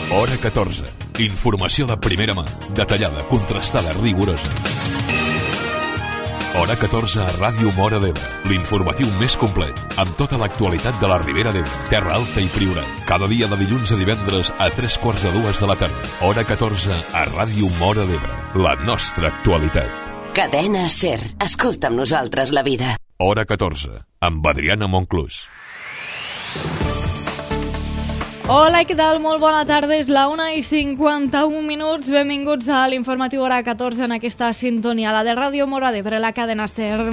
Hora 14. Informació de primera mà, detallada, contrastada, rigorosa. Hora 14 a Ràdio Móra d'Ebre, l'informatiu més complet, amb tota l'actualitat de la Ribera d'Ebre, Terra Alta i Priorat. Cada dia de dilluns a divendres a 3:45 de la tarda. Hora 14 a Ràdio Móra d'Ebre, la nostra actualitat. Cadena SER. Escolta amb nosaltres la vida. Hora 14, amb Adriana Monclús. Hola, què tal? Molt bona tarda. És la 1:51. Benvinguts a l'informatiu Hora 14 en aquesta sintonia, la de Ràdio Móra d'Ebre, la cadena SER.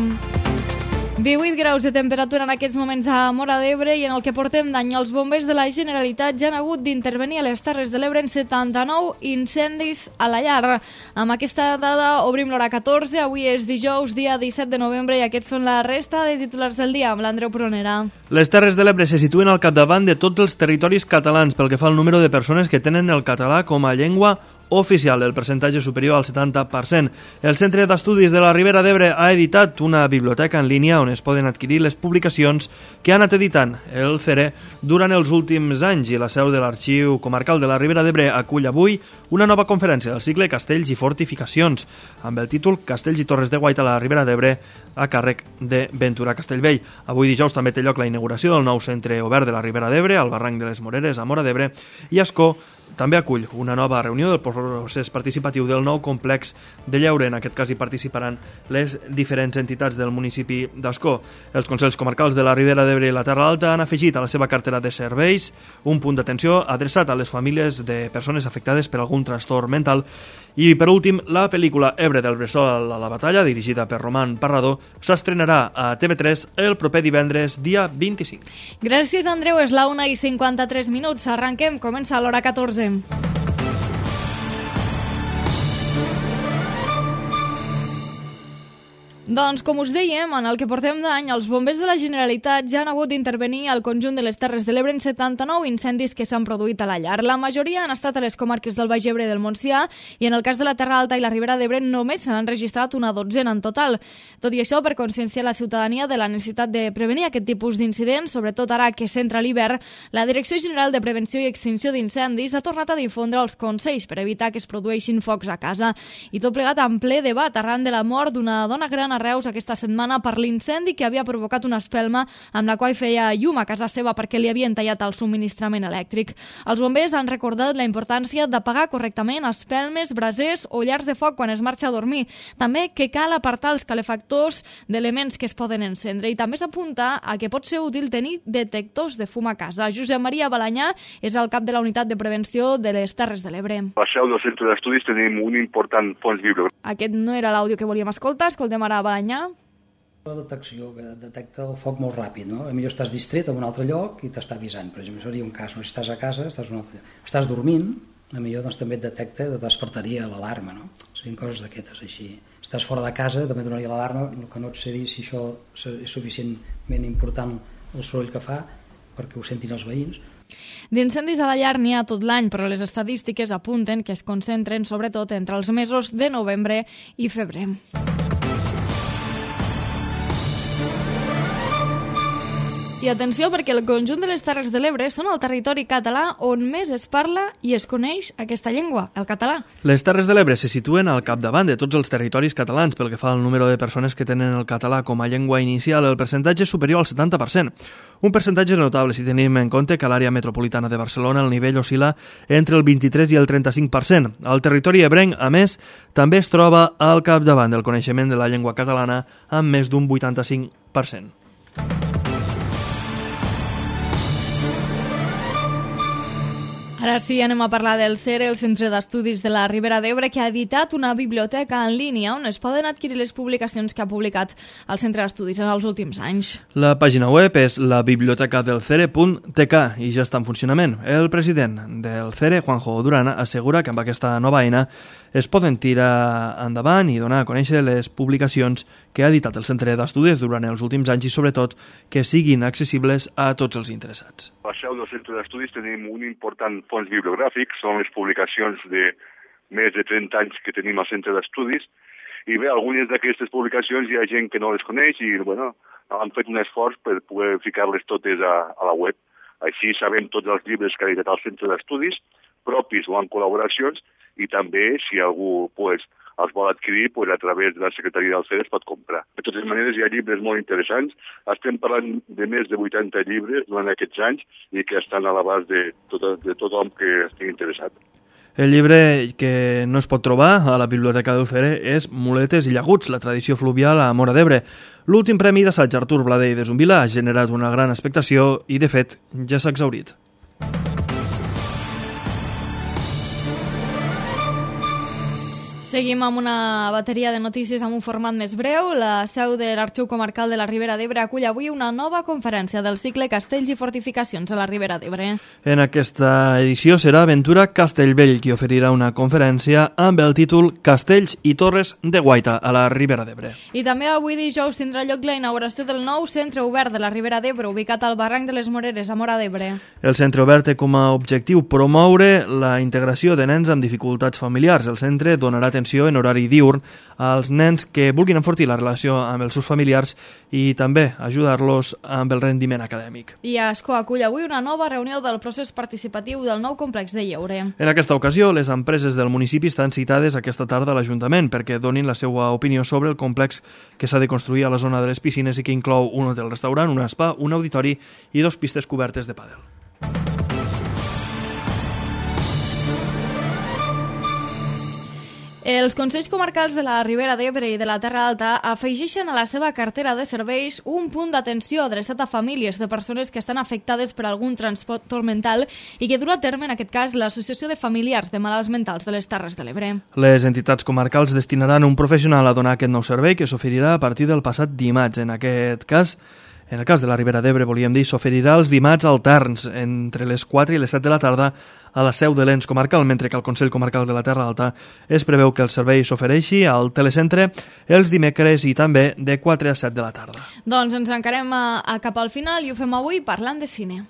18 graus de temperatura en aquests moments a Móra d'Ebre, i en el que portem d'any els bombers de la Generalitat ja han hagut d'intervenir a les Terres de l'Ebre en 79 incendis a la llar. Amb aquesta dada obrim l'Hora 14. Avui és dijous, dia 17 de novembre, i aquests són la resta de titulars del dia amb l'Andreu Pronera. Les Terres de l'Ebre se situen al capdavant de tots els territoris catalans pel que fa al número de persones que tenen el català com a llengua oficial, el percentatge superior al 70%. El Centre d'Estudis de la Ribera d'Ebre ha editat una biblioteca en línia on es poden adquirir les publicacions que ha anat editant el CERE durant els últims anys, i la seu de l'Arxiu Comarcal de la Ribera d'Ebre acull avui una nova conferència del cicle Castells i Fortificacions amb el títol Castells i Torres de Guaita a la Ribera d'Ebre, a càrrec de Ventura Castellvell. Avui dijous també té lloc la inauguració del nou centre obert de la Ribera d'Ebre al barranc de les Moreres, a Móra d'Ebre, i Ascó també acull una nova reunió del procés participatiu del nou complex de lleure. En aquest cas hi participaran les diferents entitats del municipi d'Ascó. Els Consells Comarcals de la Ribera d'Ebre i la Terra Alta han afegit a la seva cartera de serveis un punt d'atenció adreçat a les famílies de persones afectades per algun trastorn mental. I, per últim, la pel·lícula Ebre del Bressol a la batalla, dirigida per Roman Parrador, s'estrenarà a TV3 el proper divendres, dia 25. Gràcies, Andreu. És la 1:53. Arranquem. Comença l'Hora 14. Doncs, com us dèiem, en el que portem d'any, els bombers de la Generalitat ja han hagut d'intervenir al conjunt de les Terres de l'Ebre en 79 incendis que s'han produït a la llar. La majoria han estat a les comarques del Baix Ebre i del Montsià, i en el cas de la Terra Alta i la Ribera d'Ebre només s'han enregistrat una dotzena en total. Tot i això, per conscienciar la ciutadania de la necessitat de prevenir aquest tipus d'incidents, sobretot ara que s'entra l'hivern, la Direcció General de Prevenció i Extinció d'Incendis ha tornat a difondre els consells per evitar que es produeixin focs a casa. I tot plegat en ple debat arran de la mort d'una dona gran a Reus aquesta setmana per l'incendi que havia provocat una espelma amb la qual feia llum a casa seva perquè li havien tallat el subministrament elèctric. Els bombers han recordat la importància d'apagar correctament espelmes, brasers o llars de foc quan es marxa a dormir. També que cal apartar els calefactors d'elements que es poden encendre, i també s'apunta a que pot ser útil tenir detectors de fum a casa. Josep Maria Balanyà és el cap de la Unitat de Prevenció de les Terres de l'Ebre. A la seu del Centre d'Estudis tenim un important fons bibliogràfic. Aquest no era l'àudio que volíem escoltar. Escoltem ara a Balanyà. La detecció, que detecta el foc molt ràpid, no? Potser estàs distret en un altre lloc i t'està avisant. Per exemple, seria un cas, no? Si estàs a casa, estàs dormint, potser doncs, també et detecta, et despertaria l'alarma, no? Serien coses d'aquestes, així. Estàs fora de casa, també donaria l'alarma, el que no et sé dir si això és suficientment important el soroll que fa perquè ho sentin els veïns. D'incendis a la llar n'hi ha tot l'any, però les estadístiques apunten que es concentren sobretot entre els mesos de novembre i febrer. I atenció, perquè el conjunt de les Terres de l'Ebre són el territori català on més es parla i es coneix aquesta llengua, el català. Les Terres de l'Ebre se situen al capdavant de tots els territoris catalans pel que fa al número de persones que tenen el català com a llengua inicial. El percentatge és superior al 70%. Un percentatge notable si tenim en compte que a l'àrea metropolitana de Barcelona el nivell oscil·la entre el 23 i el 35%. El territori ebrenc, a més, també es troba al capdavant del coneixement de la llengua catalana amb més d'un 85%. Ara sí, anem a parlar del CERE, el Centre d'Estudis de la Ribera d'Ebre, que ha editat una biblioteca en línia on es poden adquirir les publicacions que ha publicat el Centre d'Estudis en els últims anys. La pàgina web és labibliotecadelcere.tk i ja està en funcionament. El president del CERE, Juanjo Durana, assegura que amb aquesta nova eina es poden tirar endavant i donar a conèixer les publicacions que ha editat el Centre d'Estudis durant els últims anys i, sobretot, que siguin accessibles a tots els interessats. A la seu del Centre d'Estudis tenim un important fons bibliogràfic, són les publicacions de més de 30 anys que tenim al Centre d'Estudis, i bé, algunes d'aquestes publicacions hi ha gent que no les coneix i, bueno, han fet un esforç per poder ficar-les totes a la web. Així sabem tots els llibres que ha editat el Centre d'Estudis, propis o en col·laboracions, i també, si algú els vol adquirir, a través de la Secretaria del CEDES pot comprar. De totes maneres, hi ha llibres molt interessants. Estem parlant de més de 80 llibres durant aquests anys i que estan a l'abast de tothom que estigui interessat. El llibre que no es pot trobar a la Biblioteca d'Ufere és Muletes i llaguts, la tradició fluvial a Móra d'Ebre. L'últim premi d'assaig Artur Bladé i de Zumbila ha generat una gran expectació i, de fet, ja s'ha exhaurit. Seguim amb una bateria de notícies amb un format més breu. La seu de l'Arxiu Comarcal de la Ribera d'Ebre acull avui una nova conferència del cicle Castells i Fortificacions a la Ribera d'Ebre. En aquesta edició serà Ventura Castellvell qui oferirà una conferència amb el títol Castells i Torres de Guaita a la Ribera d'Ebre. I també avui dijous tindrà lloc la inauguració del nou centre obert de la Ribera d'Ebre, ubicat al barranc de les Moreres, a Móra d'Ebre. El centre obert té com a objectiu promoure la integració de nens amb dificultats familiars. El centre donarà atenció en horari diurn als nens que vulguin enfortir la relació amb els seus familiars i també ajudar-los amb el rendiment acadèmic. I Ascó acull avui una nova reunió del procés participatiu del nou complex de lleure. En aquesta ocasió, les empreses del municipi estan citades aquesta tarda a l'Ajuntament perquè donin la seva opinió sobre el complex que s'ha de construir a la zona de les piscines i que inclou un hotel-restaurant, un spa, un auditori i 2 pistes cobertes de pàdel. Els Consells Comarcals de la Ribera d'Ebre i de la Terra Alta afegeixen a la seva cartera de serveis un punt d'atenció adreçat a famílies de persones que estan afectades per algun trastorn mental i que durà a terme, en aquest cas, l'Associació de Familiars de Malalts Mentals de les Terres de l'Ebre. Les entitats comarcals destinaran un professional a donar aquest nou servei que s'oferirà a partir del passat dimarts. En el cas de la Ribera d'Ebre, volíem dir, s'oferirà els dimarts alterns entre les 4 i les 7 de la tarda a la seu de l'ens comarcal, mentre que al Consell Comarcal de la Terra Alta es preveu que el servei s'ofereixi al telecentre els dimecres i també de 4 a 7 de la tarda. Doncs ens encarem cap al final i ho fem avui parlant de cine.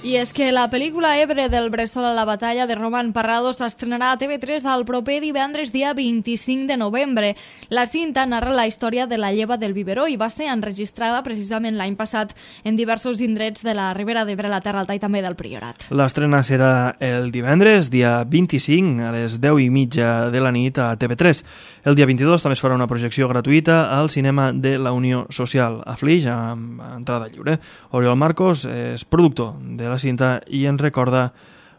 I és que la pel·lícula Ebre del Bressol a la batalla de Roman Parrado s'estrenarà a TV3 el proper divendres dia 25 de novembre. La cinta narra la història de la lleva del biberó i va ser enregistrada precisament l'any passat en diversos indrets de la Ribera d'Ebre, la Terra Alta i també del Priorat. L'estrena serà el divendres, dia 25, a les 10:30 de la nit a TV3. El dia 22 també es farà una projecció gratuïta al cinema de la Unió Social, a Flix, amb entrada lliure. Oriol Marcos és productor de la cinta i ens recorda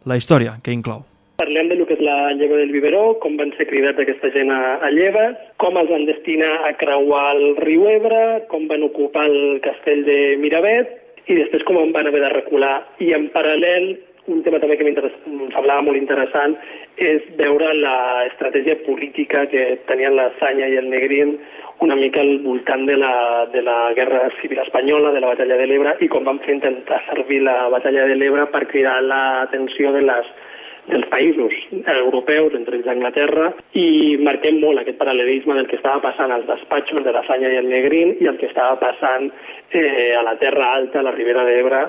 la història que inclou. Parlem del que és la lleva del biberó, com van ser cridats aquesta gent a lleves, com els van destinar a creuar el riu Ebre, com van ocupar el castell de Miravet i després com en van haver de recular. I en paral·lel, un tema també que em semblava molt interessant és veure l'estratègia política que tenien la Sanya i el Negrín una mica al voltant de la Guerra Civil Espanyola, de la Batalla de l'Ebre, i com van fer intentar servir la Batalla de l'Ebre per cridar l'atenció dels països europeus, entre ells Anglaterra, i marquem molt aquest paral·lelisme del que estava passant als despatxos de la Sanya i el Negrín i el que estava passant a la Terra Alta, a la Ribera d'Ebre,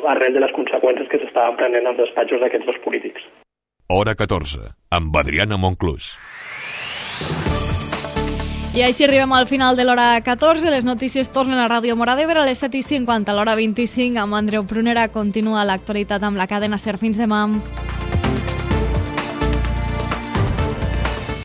arrel de les conseqüències que s'estaven prenent als despatxos d'aquests dos polítics. Hora 14, amb Adriana Monclús. I així arribem al final de l'hora 14. Les notícies tornen a Ràdio Móra d'Ebre a les 7:50. A l'hora 25, amb Andreu Prunera, continua l'actualitat amb la cadena SER. Fins demà.